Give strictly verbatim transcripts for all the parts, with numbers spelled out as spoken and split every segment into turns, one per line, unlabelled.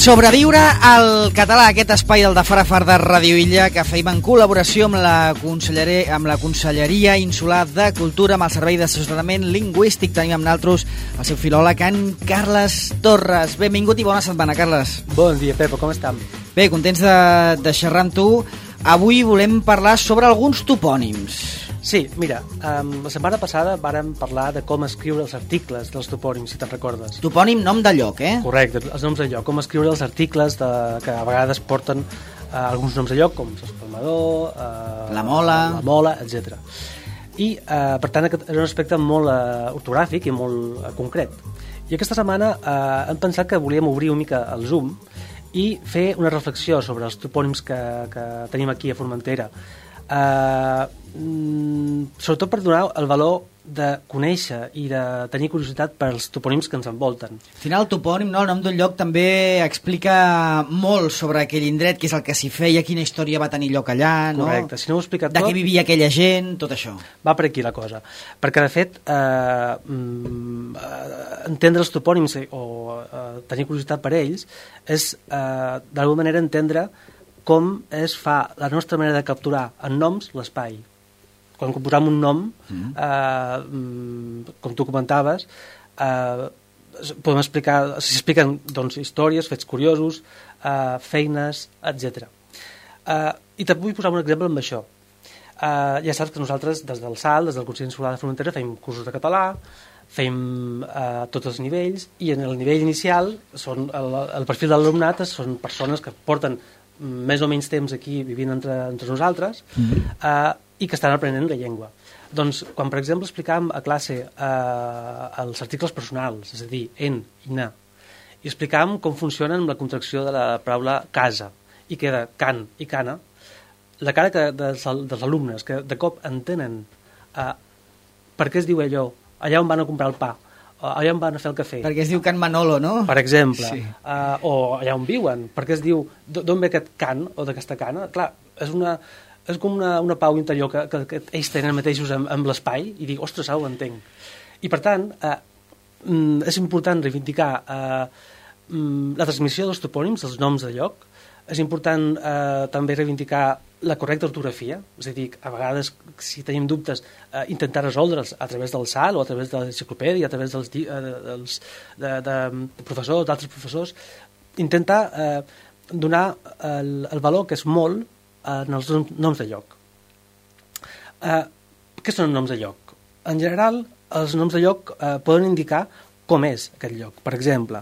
Sobreviure al català, aquest espai del de Fara Far de Ràdio Illa, que feim en col·laboració amb la, amb la Conselleria Insular de Cultura, amb el Servei d'Assessorament Lingüístic. Tenim amb nosaltres el seu filòleg, en Carles Torres. Benvingut i bona setmana, Carles.
Bon dia, Pepo, com estem?
Bé, contents de, de xerrar amb tu. Avui volem parlar sobre alguns topònims.
Sí, mira, um, la setmana passada vàrem parlar de com escriure els articles dels topònims, si te'n recordes.
Topònim, nom de lloc, eh?
Correcte, els noms de lloc, com escriure els articles de, que a vegades porten uh, alguns noms de lloc, com l'espalmador, uh,
la mola,
la mola, etcètera. I, uh, per tant, aquest és un aspecte molt uh, ortogràfic i molt uh, concret. I aquesta setmana uh, hem pensat que volíem obrir una mica el Zoom i fer una reflexió sobre els topònims que, que tenim aquí a Formentera. Uh, mm, sobretot per donar el valor de conèixer i de tenir curiositat per als topònims que ens envolten.
Al final el topònim, no, el nom d'un lloc també explica molt sobre aquell indret, què és el que s'hi feia, quina història va tenir lloc allà, no?
Correcte, si no ho he explicat
de
tot...
De què vivia aquella gent, tot això.
Va per aquí la cosa. Perquè, de fet, eh, mm, entendre els topònims o eh, tenir curiositat per ells és, eh, d'alguna manera, entendre com es fa la nostra manera de capturar en noms l'espai. Quan composam un nom, mm. eh, com tu comentaves, eh, podem explicar, s'expliquen doncs, històries, fets curiosos, eh, feines, etcètera. Eh, I te vull posar un exemple amb això. Eh, ja saps que nosaltres, des del S A L, des del Consell Insular de Formentera, fem cursos de català, fem eh, tots els nivells, i en el nivell inicial són, el, el perfil de l'alumnat són persones que porten més o menys temps aquí vivint entre, entre nosaltres, mm-hmm. eh, i que estan aprenent la llengua. Doncs, quan per exemple explicàvem a classe eh, els articles personals, és a dir, en i na, i explicàvem com funcionen amb la contracció de la paraula casa, i queda can i cana, la cara que dels, dels alumnes que de cop entenen eh, per què es diu allò, allà on van a comprar el pa, allà on van a fer el cafè.
Perquè es diu Can Manolo, no?
Per exemple.
Sí.
Uh, o allà on viuen. Perquè es diu, d'on ve aquest can o d'aquesta cana? Clar, és, una, és com una, una pau interior que, que, que ells tenen mateixos amb, amb l'espai i dic, ostres, ara ho entenc. I per tant, uh, és important reivindicar uh, la transmissió dels topònims, dels noms de lloc. És important uh, també reivindicar la correcta ortografia, és a dir, a vegades, si tenim dubtes, eh, intentar resoldre'ls a través del S A L o a través de l'enciclopèdia, a través dels, eh, dels de, de, de professors, d'altres professors, intentar eh, donar el, el valor que és molt en els noms de lloc. Eh, què són noms de lloc? En general, els noms de lloc eh, poden indicar com és aquest lloc. Per exemple,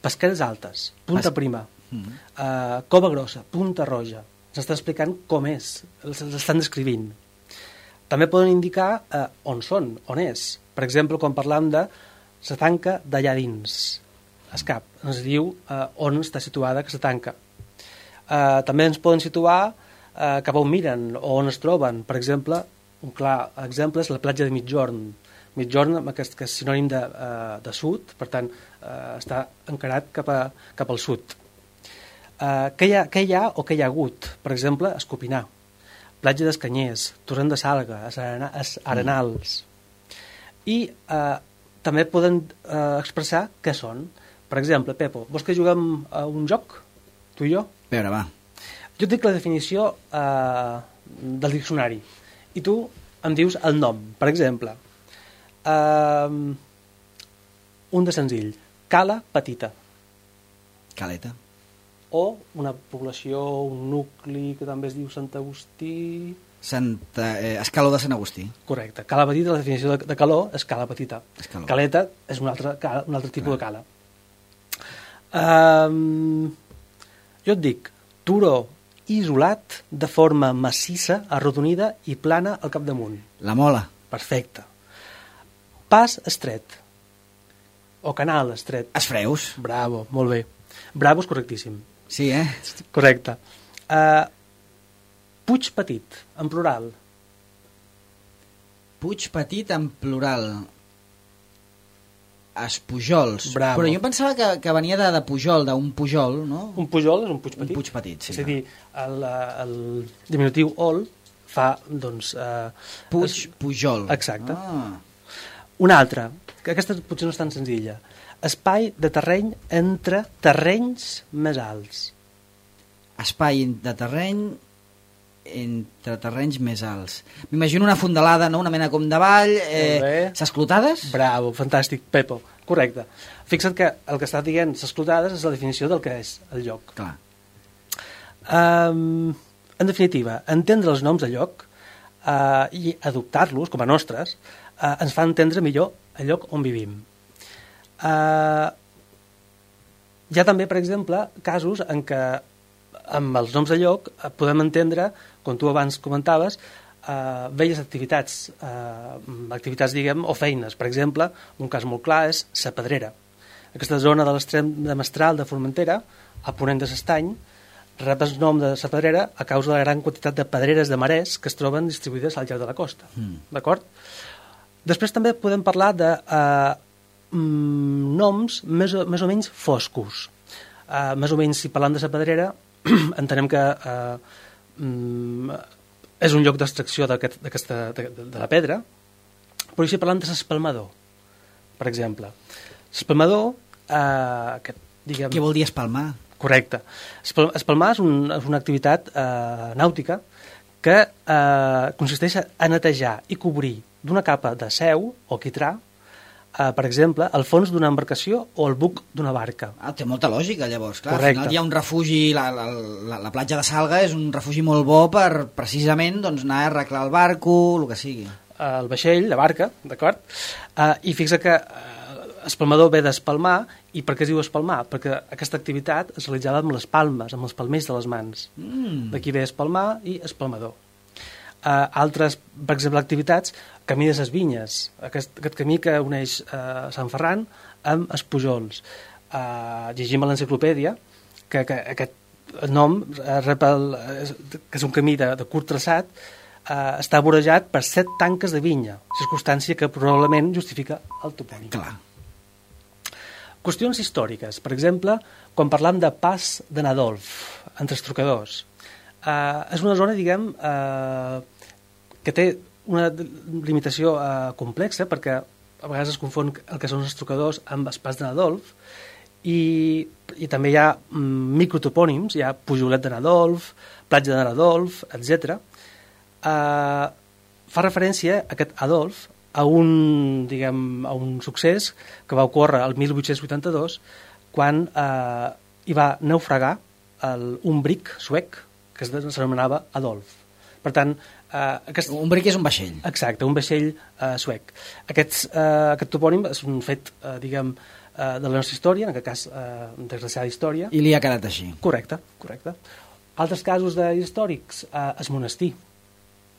Pesqueres Altes, Punta Pas... Prima, mm-hmm. eh, Cova Grossa, Punta Roja. S'està explicant com és, l'estan descrivint. També poden indicar eh, on són, on és. Per exemple, quan parlam de la tanca d'allà dins, Escap, ens diu eh, on està situada aquesta tanca. Eh, també ens poden situar eh, cap on miren o on es troben. Per exemple, un clar exemple és la platja de Migjorn. Migjorn, aquest, que és sinònim de, eh, de sud, per tant, eh, està encarat cap, a, cap al sud. Uh, què, hi ha, què hi ha o què hi ha hagut? Per exemple, Escopinar, Platja d'Escanyers, Torrent de Salga, Arenals. I uh, també poden uh, expressar què són. Per exemple, Pepo, vols que juguem a un joc, tu i jo?
A veure, va.
Jo et dic la definició uh, del diccionari i tu em dius el nom. Per exemple, uh, un de senzill, Cala Petita.
Caleta.
O una població, un nucli que també es diu Sant Agustí...
Santa, eh, Escaló de Sant Agustí.
Correcte. Cala Petita, la definició de, de calor és cala petita.
Escaló.
Caleta és un altre, un altre tipus Clar. de cala. Um, jo et dic, turó isolat de forma massissa, arrodonida i plana al capdamunt.
La Mola.
Perfecte. Pas estret. O canal estret.
Esfreus.
Bravo, molt bé. Bravo és correctíssim.
Sí, eh?
Correcte. Uh, Puig Petit, en plural.
Puig Petit, en plural. Espujols.
Bravo.
Però jo pensava que, que venia de, de Pujol, d'un Pujol, no?
Un Pujol és un Puig Petit.
Un Puig Petit, sí.
És a dir, el, el diminutiu ol fa, doncs... Uh,
Puig, es... Pujol.
Exacte.
Ah.
Un altre, que aquesta potser no és tan senzilla. Espai de terreny entre terrenys més alts.
Espai de terreny entre terrenys més alts. M'imagino una fondalada, no? Una mena com de vall. Eh, S'esclotades?
Bravo, fantàstic, Pepo. Correcte. Fixa't que el que està dient s'esclotades és la definició del que és el lloc.
Clar.
Um, en definitiva, entendre els noms de lloc uh, i adoptar-los com a nostres uh, ens fa entendre millor el lloc on vivim. Uh, hi ha també, per exemple, casos en què amb els noms de lloc uh, podem entendre, com tu abans comentaves, uh, velles activitats, uh, activitats, diguem, o feines. Per exemple, un cas molt clar és Sa Pedrera. Aquesta zona de l'extrem de Mestral de Formentera, a ponent de l'Estany, rep el nom de Sa Pedrera a causa de la gran quantitat de pedreres de marès que es troben distribuïdes al llarg de la costa. Mm. D'acord? Després també podem parlar de uh, noms més o, més o menys foscos. Uh, més o menys, si parlant de Sa Pedrera, entenem que uh, um, és un lloc d'extracció de, de, de la pedra, però si parlant de l'espalmador, per exemple. L'espalmador, uh, que, diguem...
Què vol dir espalmar?
Correcte. Espalmar és, un, és una activitat eh, nàutica que eh, consisteix a netejar i cobrir d'una capa de seu o quitrà, eh, per exemple, el fons d'una embarcació o el buc d'una barca.
Ah, té molta lògica, llavors. Clar,
correcte.
Al final hi ha un refugi, la, la, la, la platja de Salga és un refugi molt bo per precisament doncs, anar a arreglar el barco, el que sigui.
El vaixell, la barca, d'acord? Eh, I fixa que eh, espalmador ve d'espalmar. I per què es diu espalmar? Perquè aquesta activitat es realitzava amb les palmes, amb els palmells de les mans. Mm. D'aquí ve espalmar i espalmador. Uh, altres, per exemple, activitats, camí de ses vinyes, aquest, aquest camí que uneix uh, Sant Ferran amb els Pujols. Uh, llegim a l'enciclopèdia que, que aquest nom, uh, rep el, uh, que és un camí de, de curt traçat, uh, està vorejat per set tanques de vinya, circumstància que probablement justifica el topònim.
Clar.
Qüestions històriques. Per exemple, quan parlam de Pas de Nadolf, entre els trocadors. Eh, és una zona, diguem, eh, que té una limitació eh, complexa, perquè a vegades es confon el que són els trocadors amb el Pas de Nadolf, i, i també hi ha mm, microtopònims, hi ha Pujolet de Nadolf, Platja de Nadolf, etcètera. Eh, fa referència a aquest Adolf a un, diguem, a un succés que va ocórrer el mil vuit-cents vuitanta-dos quan eh, hi va naufragar el, un bric suec que s'anomenava Adolf. Per tant, eh, aquest...
Un bric és un vaixell.
Exacte, un vaixell eh, suec. Aquests, eh, aquest topònim és un fet, eh, diguem, eh, de la nostra història, en aquest cas, eh, desgraciada història.
I li ha quedat així.
Correcte, correcte. Altres casos històrics, eh, el monestir,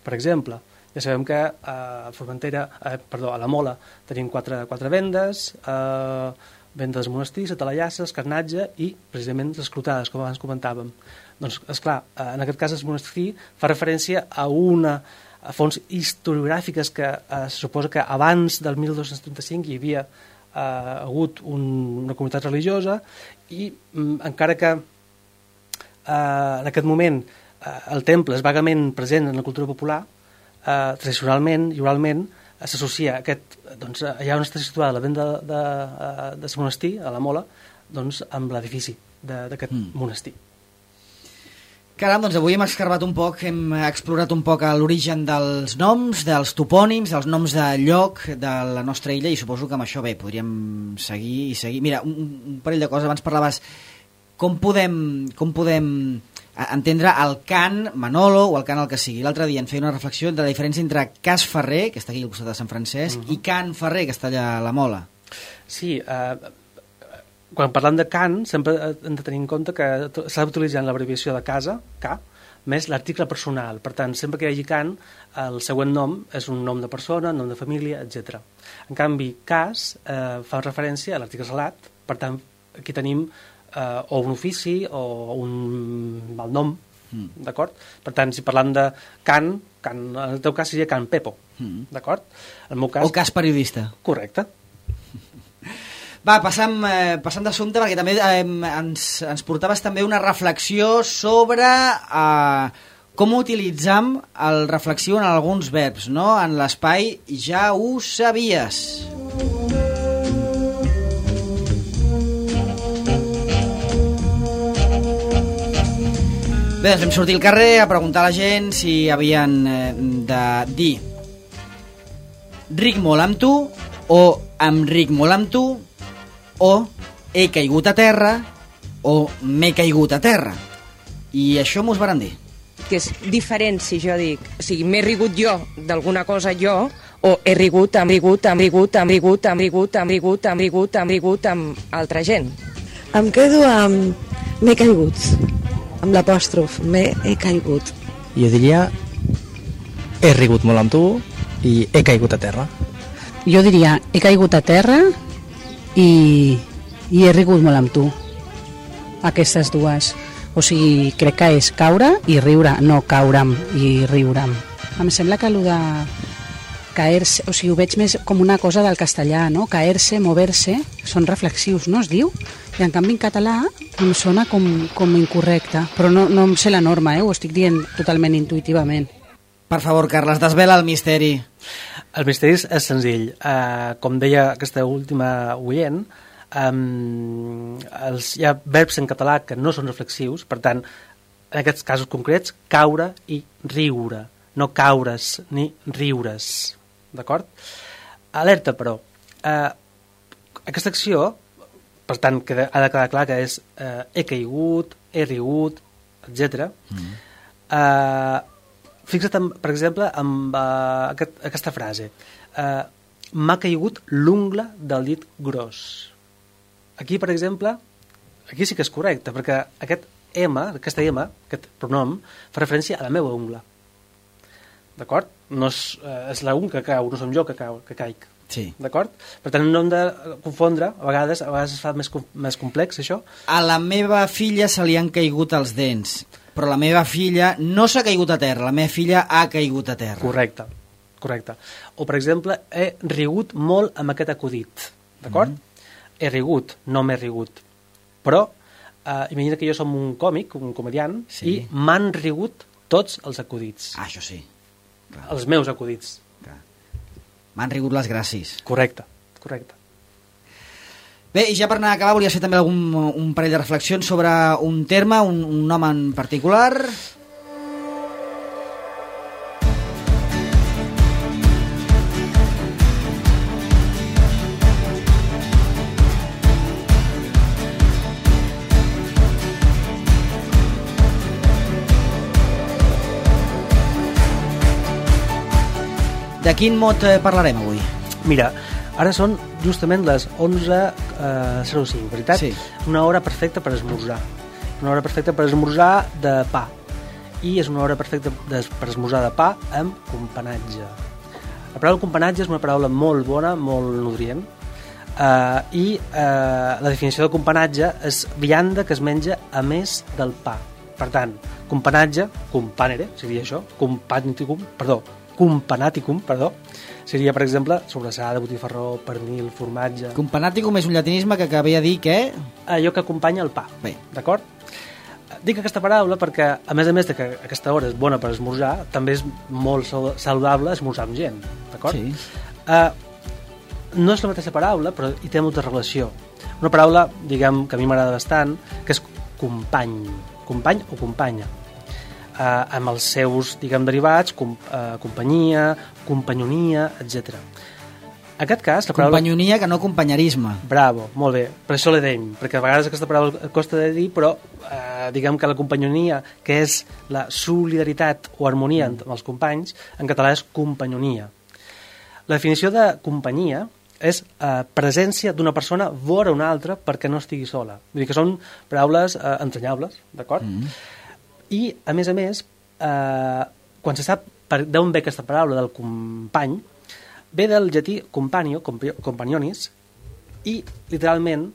per exemple. Ja sabem que a Formentera, eh, perdó, a la Mola tenim quatre, quatre vendes, eh, venda dels monestirs, a Talallasses, Carnatge i precisament les clotades, com abans comentàvem. Doncs, esclar, eh, en aquest cas el monestir fa referència a una a fonts historiogràfiques que eh, se suposa que abans del mil dos-cents trenta-cinc hi havia eh, hagut un, una comunitat religiosa i mm, encara que eh, en aquest moment eh, el temple és vagament present en la cultura popular, Uh, tradicionalment i oralment uh, s'associa aquest, doncs, uh, allà on està situada la venda de, de, uh, de monestir, a la Mola, doncs, amb l'edifici d'aquest mm. monestir.
Caram, doncs avui hem escarbat un poc, hem explorat un poc l'origen dels noms, dels topònims, dels noms de lloc de la nostra illa, i suposo que amb això bé, podríem seguir i seguir. Mira, un, un parell de coses, abans parlaves com podem, com podem entendre el cant Manolo o el cant el que sigui. L'altre dia en feia una reflexió de la diferència entre Cas Ferrer, que està aquí al costat de Sant Francesc, uh-huh. i Can Ferrer, que està allà a la Mola.
Sí, eh, quan parlem de cant sempre hem de tenir en compte que s'ha d'utilitzar l'abreviació de casa, K, més l'article personal. Per tant, sempre que hi hagi cant, el següent nom és un nom de persona, nom de família, etcètera. En canvi, cas eh, fa referència a l'article salat, per tant, aquí tenim Uh, o un ofici o un malnom, mm. d'acord? Per tant, si parlam de Can, can en el teu cas seria Can Pepo, mm. d'acord? En el meu cas...
O cas periodista.
Correcte.
Va, passam, eh, passam d'assumpte, perquè també eh, ens, ens portaves també una reflexió sobre eh, com utilitzam el reflexiu en alguns verbs, no? En l'espai ja ho sabies. Bé, doncs vam sortir al carrer a preguntar a la gent si havien eh, de dir ric molt amb tu, o em ric molt amb tu, o he caigut a terra, o m'he caigut a terra. I això m'ho varen dir.
Que és diferent si jo dic, o sigui, m'he rigut jo d'alguna cosa jo, o he rigut, hem rigut, hem rigut, hem rigut, hem rigut, hem rigut, hem rigut, hem rigut amb altra gent.
Em quedo amb m'he caigut, amb l'apòstrof, m'he he caigut.
Jo diria he rigut molt amb tu i he caigut a terra.
Jo diria he caigut a terra i, i he rigut molt amb tu. Aquestes dues. O sigui, crec que és caure i riure, no caure'm i riure'm. Em sembla que allò de caer-se, o sigui, ho veig més com una cosa del castellà, no? Caer-se, mover-se, són reflexius, no es diu? I en canvi en català em sona com, com incorrecte, però no, no em sé la norma, eh? Ho estic dient totalment intuïtivament.
Per favor, Carles, desvela el misteri.
El misteri és senzill. Uh, com deia aquesta última oient, um, els, hi ha verbs en català que no són reflexius, per tant, en aquests casos concrets, caure i riure, no caure's ni riure's, d'acord? Alerta, però, uh, aquesta acció, per tant, que ha de quedar clar que és uh, he caigut, he rigut, etcètera. Mm. Uh, fixa't, en, per exemple, amb uh, aquest, aquesta frase. Uh, m'ha caigut l'ungla del dit gros. Aquí, per exemple, aquí sí que és correcte, perquè aquest M, aquesta M, aquest pronom, fa referència a la meva ungla. D'acord? No és, uh, és la ung que cau, no som jo que, cau, que caic.
Sí.
D'acord? Per tant, no hem de confondre, a vegades, a vegades es fa més, més complex, això.
A la meva filla se li han caigut els dents, però la meva filla no s'ha caigut a terra, la meva filla ha caigut a terra.
Correcte, correcte. O, per exemple, he rigut molt amb aquest acudit, d'acord? Mm-hmm. He rigut, no m'he rigut. Però, eh, imagina que jo som un còmic, un comediant, sí. I m'han rigut tots els acudits.
Ah, això sí. Clar.
Els meus acudits.
M'han rigut les gràcies.
Correcte, correcte.
Bé, i ja per anar a acabar, volia fer també algun, un parell de reflexions sobre un terme, un, un nom en particular. De quin mot parlarem avui?
Mira, ara són justament les onze zero cinc, veritat?
Sí.
Una hora perfecta per esmorzar. Una hora perfecta per esmorzar de pa. I és una hora perfecta per esmorzar de pa amb companatge. La paraula companatge és una paraula molt bona, molt nutrient. Uh, I uh, la definició de companatge és vianda que es menja a més del pa. Per tant, companatge, companere, seria això, companiticum, perdó, companaticum, perdó, seria, per exemple, sobrassada, botifarró, pernil, formatge...
Companaticum és un llatinisme que, que ve a dir que...
Allò que acompanya el pa,
bé,
d'acord? Dic aquesta paraula perquè, a més a més de que aquesta hora és bona per esmorzar, també és molt saludable esmorzar amb gent, d'acord?
Sí.
Uh, no és la mateixa paraula, però hi té molta relació. Una paraula, diguem, que a mi m'agrada bastant, que és company, company o companya. Uh, amb els seus, diguem, derivats, com, uh, companyia, companyonia, etcètera. En aquest cas, la paraula...
Companyonia que no companyerisme.
Bravo, molt bé, per això l'he deim, perquè a vegades aquesta paraula costa de dir, però uh, diguem que la companyonia, que és la solidaritat o harmonia amb els companys, en català és companyonia. La definició de companyia és uh, presència d'una persona vora una altra perquè no estigui sola. Vull dir que són paraules uh, entranyables, d'acord? Mm. I, a més a més, eh, quan se sap d'on ve aquesta paraula del company, ve del llatí companio, companionis, i, literalment,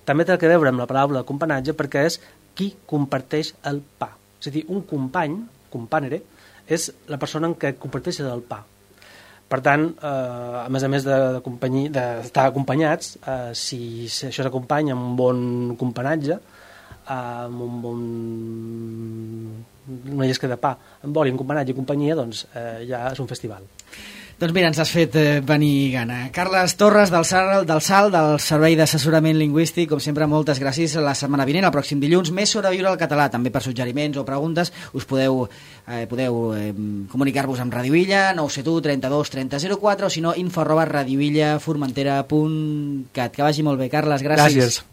també té que veure amb la paraula companatge perquè és qui comparteix el pa. És a dir, un company, companere, és la persona en què comparteix el pa. Per tant, eh, a més a més d'estar de, de acompanyats, eh, si, si això s'acompanya amb un bon companatge, amb un bon una llesca de pa amb oli, un companatge i companyia, doncs eh, ja és un festival.
Doncs mira, ens has fet eh, venir gana. Carles Torres, del SAL, del SAL, del Servei d'Assessorament Lingüístic, com sempre, moltes gràcies. La setmana vinent, el pròxim dilluns, més sobreviure al català, també per suggeriments o preguntes, us podeu, eh, podeu eh, comunicar-vos amb Radio Illa, nou set u, trenta-dos, trenta, zero quatre, o si no, info arroba radioillaformentera punt cat. Que vagi molt bé, Carles, gràcies.
Gràcies.